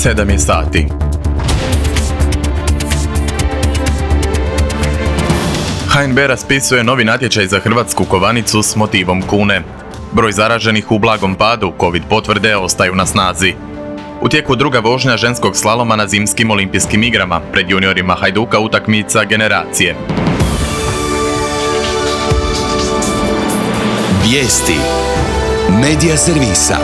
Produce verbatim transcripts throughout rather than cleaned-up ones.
sedam je sati. H N B raspisuje novi natječaj za hrvatsku kovanicu s motivom kune. Broj zaraženih u blagom padu, Covid potvrde ostaju na snazi. U tijeku druga vožnja ženskog slaloma na zimskim olimpijskim igrama, pred juniorima Hajduka utakmica generacije. Vijesti Medija servisa.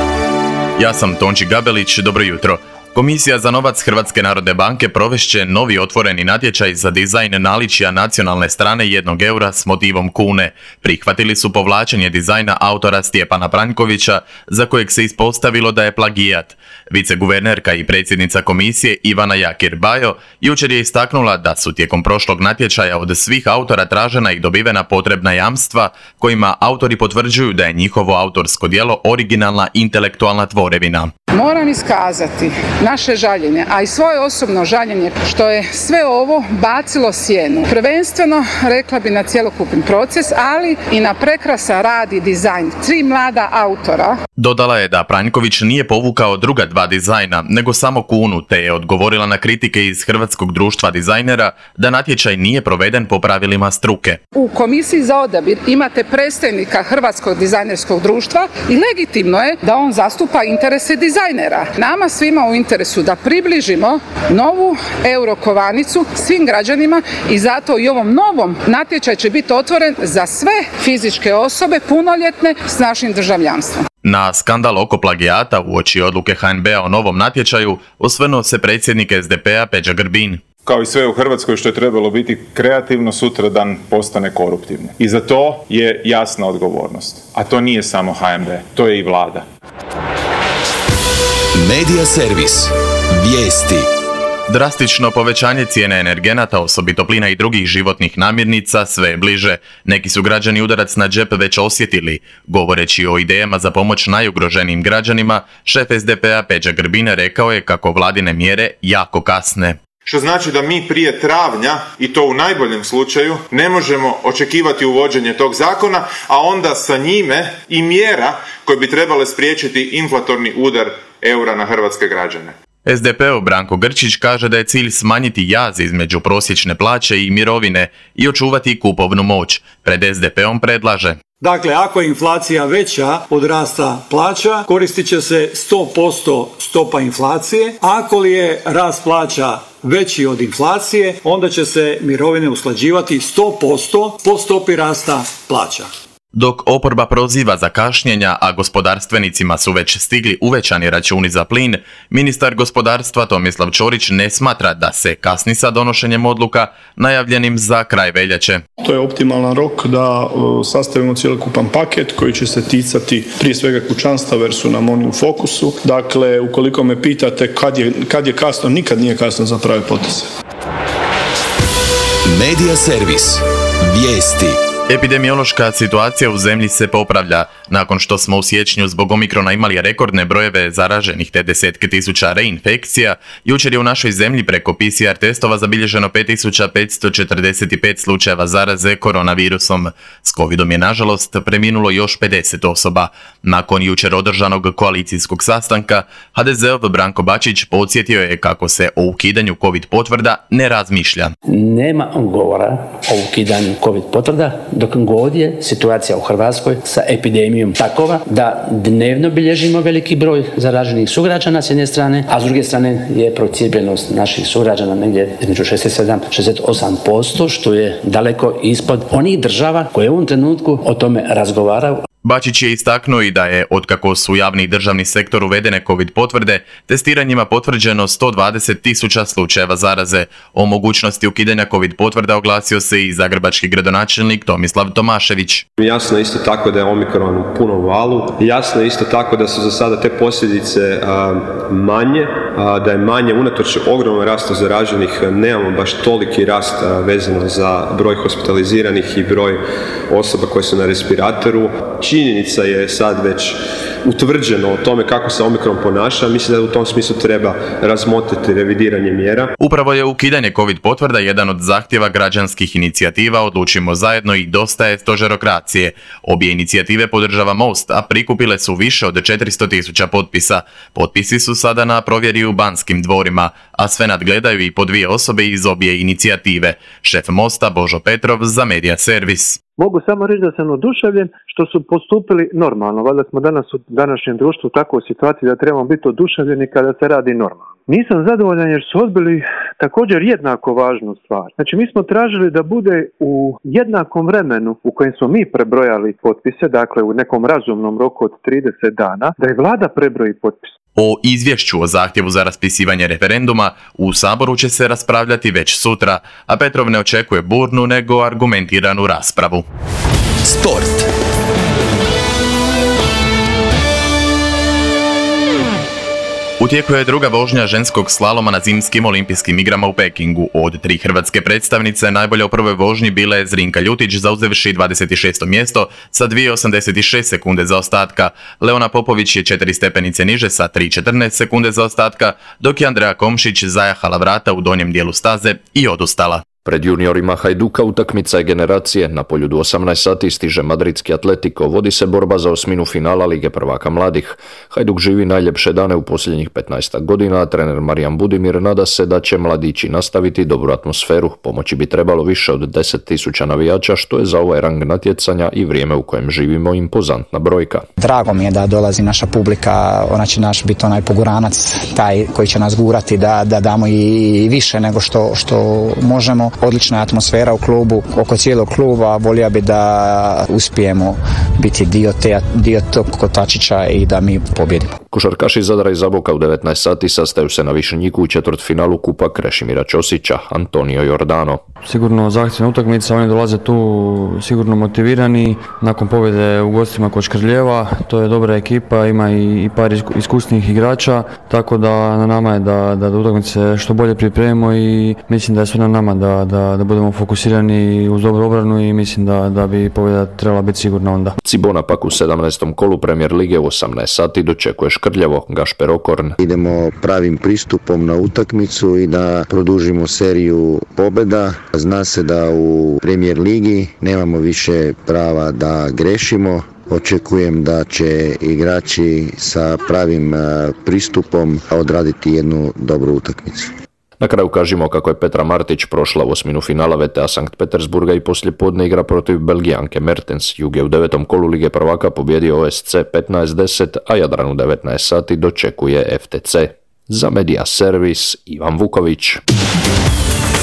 Ja sam Tonči Gabelić, dobro jutro. Komisija za novac Hrvatske narodne banke provešće novi otvoreni natječaj za dizajn naličja nacionalne strane jednog eura s motivom kune. Prihvatili su povlačenje dizajna autora Stjepana Pranjkovića, za kojeg se ispostavilo da je plagijat. Viceguvernerka i predsjednica komisije Ivana Jakir-Bajo jučer je istaknula da su tijekom prošlog natječaja od svih autora tražena i dobivena potrebna jamstva kojima autori potvrđuju da je njihovo autorsko djelo originalna intelektualna tvorevina. Moram iskazati naše žaljenje, a i svoje osobno žaljenje što je sve ovo bacilo sjenu. Prvenstveno, rekla bi, na cjelokupni proces, ali i na prekrasan rad i dizajn tri mlada autora. Dodala je da Pranjković nije povukao druga dva dizajna, nego samo kunu, te je odgovorila na kritike iz Hrvatskog društva dizajnera da natječaj nije proveden po pravilima struke. U komisiji za odabir imate predstavnika Hrvatskog dizajnerskog društva i legitimno je da on zastupa interese dizajnera. Nama svima u interesu da približimo novu eurokovanicu svim građanima i zato i ovom novom natječaj će biti otvoren za sve fizičke osobe punoljetne s našim državljanstvom. Na skandal oko plagijata uoči odluke H N B-a o novom natječaju osvrnuo se predsjednik S D P-a Peđa Grbin. Kao i sve u Hrvatskoj što je trebalo biti kreativno, sutradan postane koruptivno. I za to je jasna odgovornost. A to nije samo H N B, to je i vlada. Medija servis. Vijesti. Drastično povećanje cijene energenata, osobito plina i drugih životnih namirnica, sve je bliže. Neki su građani udarac na džep već osjetili. Govoreći o idejama za pomoć najugroženijim građanima, šef S D P-a Peđa Grbin rekao je kako vladine mjere jako kasne. Što znači da mi prije travnja, i to u najboljem slučaju, ne možemo očekivati uvođenje tog zakona, a onda sa njime i mjera koje bi trebale spriječiti inflatorni udar eura na hrvatske građane. S D P-ov Branko Grčić kaže da je cilj smanjiti jaz između prosječne plaće i mirovine i očuvati kupovnu moć. Pred S D P-om predlaže: Dakle, ako je inflacija veća od rasta plaća, koristit će se sto posto stopa inflacije. Ako li je rast plaća veći od inflacije, onda će se mirovine usklađivati sto posto po stopi rasta plaća. Dok oporba proziva za kašnjenja, a gospodarstvenicima su već stigli uvećani računi za plin, ministar gospodarstva Tomislav Ćorić ne smatra da se kasni sa donošenjem odluka najavljenim za kraj veljače. To je optimalan rok da sastavimo cjelokupan paket koji će se ticati prije svega kućanstava jer su nam oni u fokusu. Dakle, ukoliko me pitate kad je, kad je kasno, nikad nije kasno za prave poteze. Medija servis. Vijesti. Epidemiološka situacija u zemlji se popravlja. Nakon što smo u siječnju zbog omikrona imali rekordne brojeve zaraženih te desetke tisuća reinfekcija, jučer je u našoj zemlji preko P C R testova zabilježeno pet tisuća petsto četrdeset pet slučajeva zaraze koronavirusom. S covidom je nažalost preminulo još pedeset osoba. Nakon jučer održanog koalicijskog sastanka, H D Z-ov Branko Bačić podsjetio je kako se o ukidanju covid potvrda ne razmišlja. Nema govora o ukidanju covid potvrda dok god je situacija u Hrvatskoj sa epidemijom takova da dnevno bilježimo veliki broj zaraženih sugrađana s jedne strane, a s druge strane je procijepljenost naših sugrađana negdje između šezdeset sedam do šezdeset osam posto, što je daleko ispod onih država koje u ovom trenutku o tome razgovaraju. Bačić je istaknuo i da je, otkako su u javni i državni sektor uvedene covid potvrde, testiranjima potvrđeno sto dvadeset tisuća slučajeva zaraze. O mogućnosti ukidanja covid potvrda oglasio se i zagrebački gradonačelnik Tomislav Tomašević. Jasno je isto tako da je omikron u punom valu. Jasno je isto tako da su za sada te posljedice a, manje, a, da je manje unatoč ogromnom rastu zaraženih, nemamo baš toliki rast a, vezano za broj hospitaliziranih i broj osoba koje su na respiratoru. činjenica je sad već utvrđeno o tome kako se Omikron ponaša, mislim da u tom smislu treba razmotriti revidiranje mjera. Upravo je ukidanje COVID potvrda jedan od zahtjeva građanskih inicijativa Odlučimo zajedno i Dosta je stožerokracije. Obje inicijative podržava Most, a prikupile su više od četiristo tisuća potpisa. Potpisi su sada na provjeri u Banskim dvorima, a sve nadgledaju i po dvije osobe iz obje inicijative. Šef Mosta Božo Petrov za Medija Servis. Mogu samo reći da sam oduševljen što su postupili normalno. Valjda smo danas u današnjem društvu u takvoj situaciji da trebamo biti oduševljeni kada se radi normalno. Nisam zadovoljan jer su odbili također jednako važnu stvar. Znači mi smo tražili da bude u jednakom vremenu u kojem smo mi prebrojali potpise, dakle u nekom razumnom roku od trideset dana, da i vlada prebroji potpise. O izvješću o zahtjevu za raspisivanje referenduma u Saboru će se raspravljati već sutra, a Petrov ne očekuje burnu nego argumentiranu raspravu. Sport. U tijeku je druga vožnja ženskog slaloma na zimskim olimpijskim igrama u Pekingu. Od tri hrvatske predstavnice najbolje u prvoj vožnji bila je Zrinka Ljutić zauzevši dvadeset šesto mjesto sa dvije osamdeset šest sekunde zaostatka. Leona Popović je četiri stepenice niže sa tri četrnaest sekunde zaostatka, dok je Andreja Komšić zajahala vrata u donjem dijelu staze i odustala. Pred juniorima Hajduka utakmica je generacije. Na Poljudu osamnaest sati stiže madridski Atletico. Vodi se borba za osminu finala Lige prvaka mladih. Hajduk živi najljepše dane u posljednjih petnaest godina, a trener Marijan Budimir nada se da će mladići nastaviti dobru atmosferu. Pomoći bi trebalo više od deset tisuća navijača, što je za ovaj rang natjecanja i vrijeme u kojem živimo impozantna brojka. Drago mi je da dolazi naša publika, ona će naš biti onaj poguranac, taj koji će nas gurati da, da damo i više nego što, što možemo. Odlična atmosfera u klubu, oko cijelog kluba, volio bi da uspijemo biti dio, te, dio tog kotačića i da mi pobjedimo. Košarkaši Zadra i Zaboka u devetnaest sati sastaju se na Višnjiku u četvrtfinalu Kupa Krešimira Ćosića, Antonio Jordano. Sigurno zahtjevna utakmica, oni dolaze tu sigurno motivirani, nakon pobjede u gostima kod Škrljeva, to je dobra ekipa, ima i, i par iskusnih igrača, tako da na nama je da, da, da utakmice što bolje pripremimo i mislim da je sve na nama da, da, da budemo fokusirani uz dobru obranu i mislim da, da bi pobjeda trebala biti sigurna onda. Cibona pak u sedamnaestom kolu Premier Lige u osamnaest sati dočekuje Škrljevo, Gašper Okorn. Idemo pravim pristupom na utakmicu i da produžimo seriju pobjeda. Zna se da u Premier Ligi nemamo više prava da grešimo. Očekujem da će igrači sa pravim pristupom odraditi jednu dobru utakmicu. Na kraju kažemo kako je Petra Martić prošla u osminu finala V T A Sankt Petersburga i poslijepodne igra protiv Belgijanke Mertens. Jug je u devetom kolu Lige prvaka pobjedio O S C petnaest deset, a Jadran u devetnaest sati dočekuje F T C. Za Medija Servis, Ivan Vuković.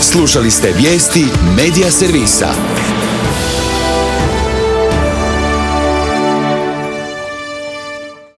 Slušali ste vijesti Medija Servisa.